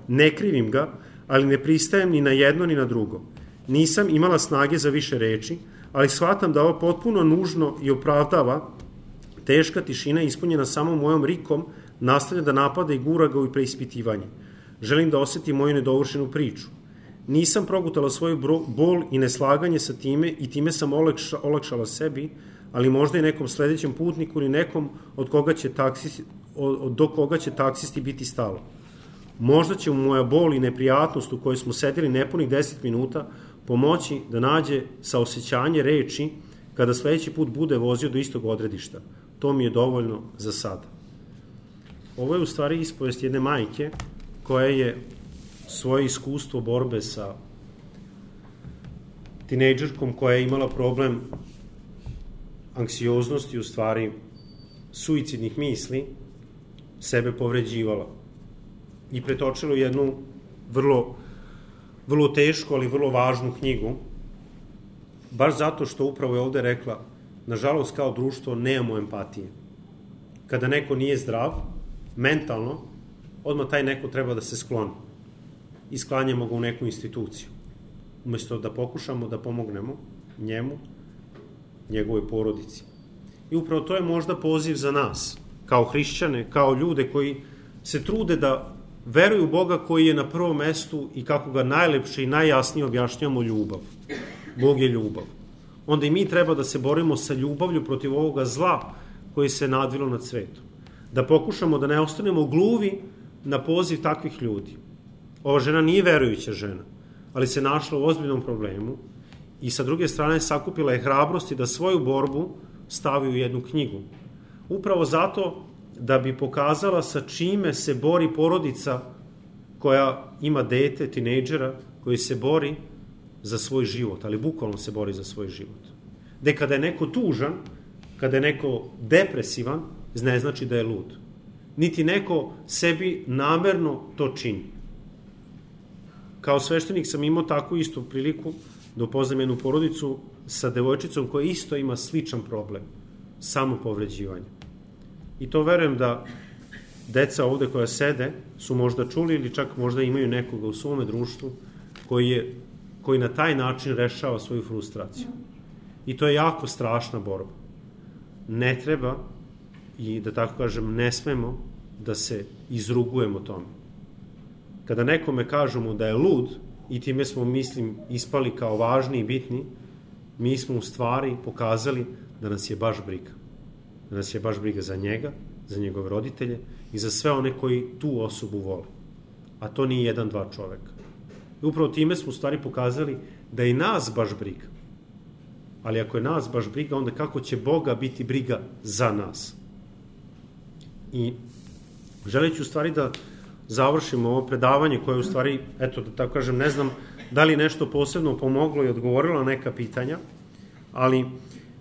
Ne krivim ga, ali ne pristajem ni na jedno ni na drugo. Nisam imala snage za više reči, ali shvatam da ovo potpuno nužno i opravdava teška tišina ispunjena samo mojom rikom nastavlja da napada i gura ga u preispitivanje. Želim da osetim moju nedovršenu priču. Nisam progutala svoju bol i neslaganje sa time i time sam olakša, olakšala sebi, ali možda i nekom sledećem putniku ili nekom od koga će taksisti, od, do koga će taksisti biti stalo. Možda će mu moja bol i neprijatnost u kojoj smo sedeli nepunih deset minuta pomoći da nađe saosećanje reči kada sledeći put bude vozio do istog odredišta. To mi je dovoljno za sada. Ovo je u stvari ispovest jedne majke koja je svoje iskustvo borbe sa tinejdžerkom koja je imala problem anksioznosti, u stvari suicidnih misli, sebe povređivala i pretočila u jednu vrlo, vrlo tešku, ali vrlo važnu knjigu, baš zato što upravo je ovde rekla, nažalost kao društvo nemamo empatije. Kada neko nije zdrav, mentalno, odmah taj neko treba da se skloni i sklanjamo ga u neku instituciju. umesto da pokušamo da pomognemo njemu, njegovoj porodici. I upravo to je možda poziv za nas, kao hrišćane, kao ljude koji se trude da veruju u Boga koji je na prvom mestu i kako ga najlepše i najjasnije objašnjamo ljubav. Bog je ljubav. Onda i mi treba da se borimo sa ljubavlju protiv ovoga zla koji se nadvilo nad svetom. Da pokušamo da ne ostanemo gluvi na poziv takvih ljudi. Ova žena nije verujuća žena, ali se našla u ozbiljnom problemu i sa druge strane sakupila je hrabrosti da svoju borbu stavi u jednu knjigu. Upravo zato da bi pokazala sa čime se bori porodica koja ima dete, tinejdžera, koji se bori za svoj život, ali bukvalno se bori za svoj život. Da kada je neko tužan, kada je neko depresivan, ne znači da je lud. Niti neko sebi namerno to čini. Kao sveštenik sam imao takvu istu priliku da upoznam jednu porodicu sa devojčicom koja isto ima sličan problem, samopovređivanje. I to verujem da deca ovde koja sede su možda čuli ili čak možda imaju nekoga u svome društvu koji, je, koji na taj način rešava svoju frustraciju. I to je jako strašna borba. Ne treba i da tako kažem ne smemo da se izrugujemo tome. Kada nekome kažemo da je lud i time smo, mislim, ispali kao važni i bitni, mi smo u stvari pokazali da nas je baš briga. Da nas je baš briga za njega, za njegove roditelje i za sve one koji tu osobu vole. A to nije jedan, dva čoveka. I upravo time smo u stvari pokazali da je nas baš briga. Ali ako je nas baš briga, onda kako će Boga biti briga za nas? I želeći u stvari da završimo ovo predavanje koje u stvari, eto da tako kažem, ne znam da li nešto posebno pomoglo i odgovorilo na neka pitanja, ali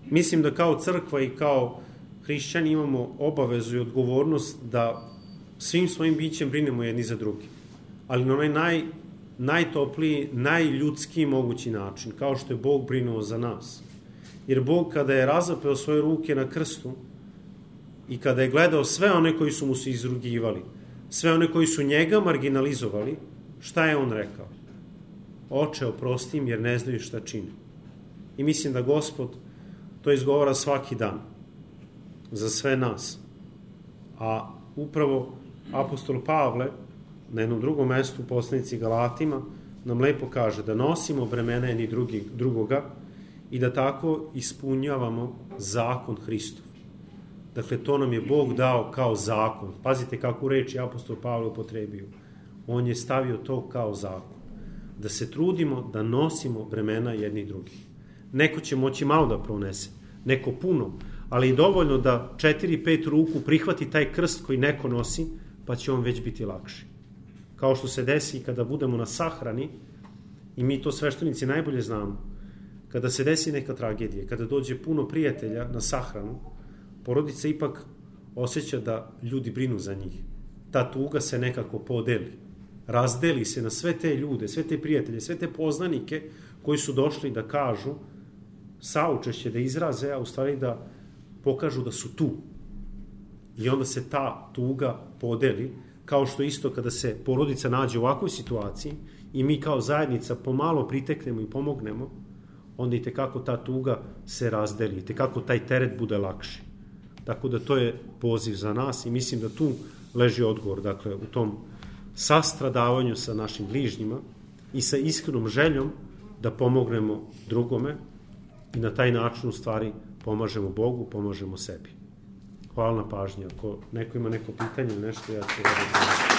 mislim da kao crkva i kao hrišćani imamo obavezu i odgovornost da svim svojim bićem brinemo jedni za drugi. Ali na onaj naj, najtopliji, najljudskiji mogući način, kao što je Bog brinuo za nas. Jer Bog kada je razapeo svoje ruke na krstu i kada je gledao sve one koji su mu se izrugivali, sve one koji su njega marginalizovali, šta je on rekao? Oče, oprosti im jer ne znaju šta čine. I mislim da Gospod to izgovara svaki dan za sve nas. A upravo apostol Pavle na jednom drugom mestu u poslanici Galatima nam lepo kaže da nosimo bremena jedni drugi, drugoga i da tako ispunjavamo zakon Hristov. Dakle, to nam je Bog dao kao zakon. Pazite kako reči apostol Pavle upotrebio. On je stavio to kao zakon. Da se trudimo da nosimo bremena jedni drugih. Neko će moći malo da pronese, neko puno, ali i dovoljno da četiri, pet ruku prihvati taj krst koji neko nosi, pa će on već biti lakši. Kao što se desi kada budemo na sahrani, i mi to sveštenici najbolje znamo, kada se desi neka tragedija, kada dođe puno prijatelja na sahranu, porodica ipak osjeća da ljudi brinu za njih. Ta tuga se nekako podeli, razdeli se na sve te ljude, sve te prijatelje, sve te poznanike koji su došli da kažu saučešće, da izraze, a u stvari da pokažu da su tu. I onda se ta tuga podeli, kao što isto kada se porodica nađe u ovakvoj situaciji i mi kao zajednica pomalo priteknemo i pomognemo, onda i tekako ta tuga se razdeli, i tekako taj teret bude lakši. Tako da to je poziv za nas i mislim da tu leži odgovor, dakle, u tom sastradavanju sa našim bližnjima i sa iskrenom željom da pomognemo drugome i na taj način u stvari pomažemo Bogu, pomažemo sebi. Hvala na pažnji. Ako neko ima neko pitanje ili nešto, ja ću raditi.